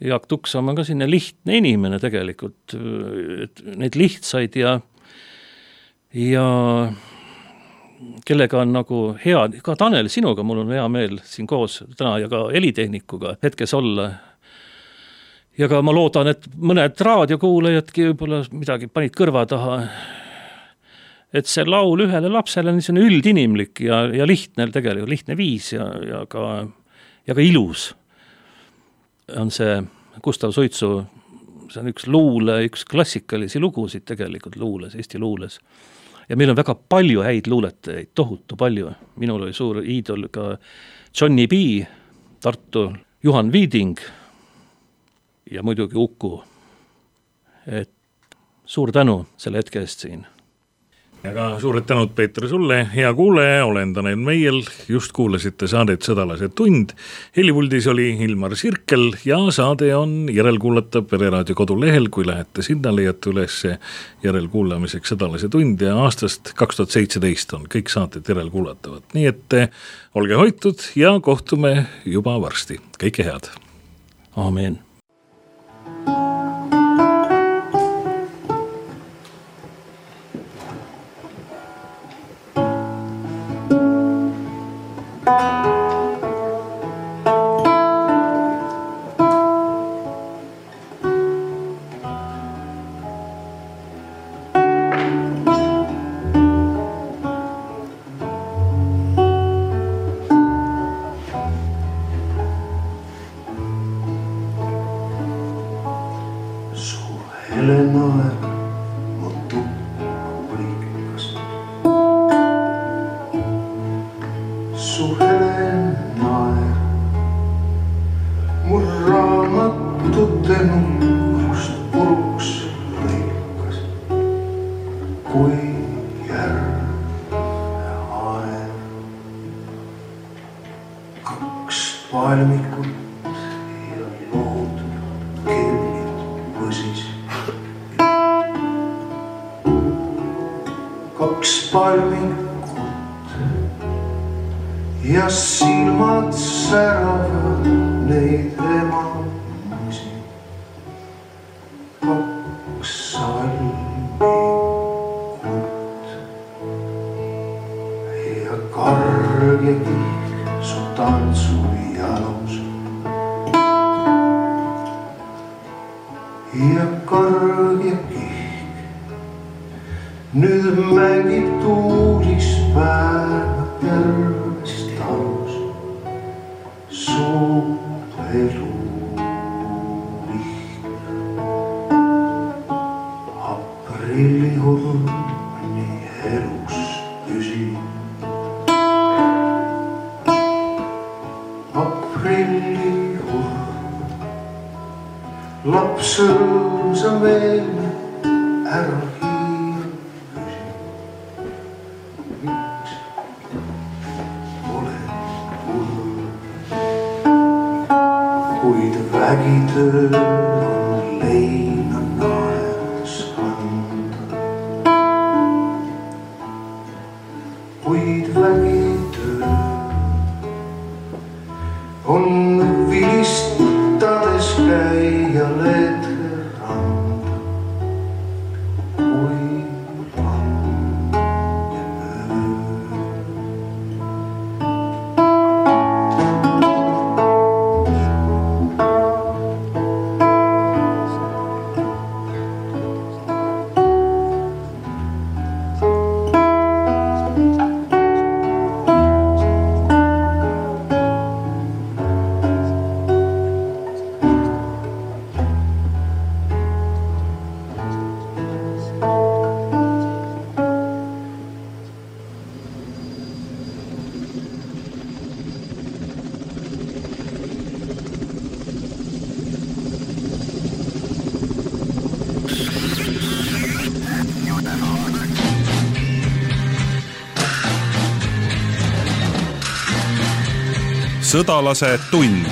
Jaak Tuksam on ka sinne lihtne inimene tegelikult, et need lihtsaid ja kellega on nagu hea, ka Tanel, sinuga mul on hea meel siin koos täna ja ka helitehnikuga hetkes olla. Ja ka ma loodan, et mõned raadiokuulajadki võib-olla midagi panid kõrva taha, et see laul ühele lapsele on niisugune üldinimlik ja lihtne tegelikult, lihtne viis ja ka ilus on see Gustav Suitsu, see on üks klassikalisi lugusid tegelikult luules, Eesti luules. Ja meil on väga palju häid luuletajaid, tohutu palju. Minul oli suur iidol ka Johnny B, Tartu, Juhan Viiding ja muidugi Uku. Et suur tänu selle hetke eest siin. Ja ka suured tänud, Peeter, sulle, hea kuulaja, olen Tanel Meiel, just kuulasite saadet Sõdalase tund. Helipuldis oli Ilmar Sirkel ja saade on järelkuulatav Pereraadio kodulehel, kui lähete sinna, leiate üles järelkuulamiseks Sõdalase tund ja aastast 2017 on kõik saated järelkuulatavad. Nii et olge hoitud ja kohtume juba varsti. Kõike head. Aamen. Ja silmad säravad neid emamusi. Kaks salmikut ja karg ja kihk su tantsu jalus. Ja karg ja kihk nüüd mängib tuulis päeva tervest talus. Su elu lihtne aprillihorni elus püsib. Aprillihorn laps rõõmsa meelne ära hiir püsib. Miks olen hull, kuid vägitöö on leina naeres anda. Kuid vägitöö on vilistades käia leedke randa. Kui langeb öö. Sõdalase tund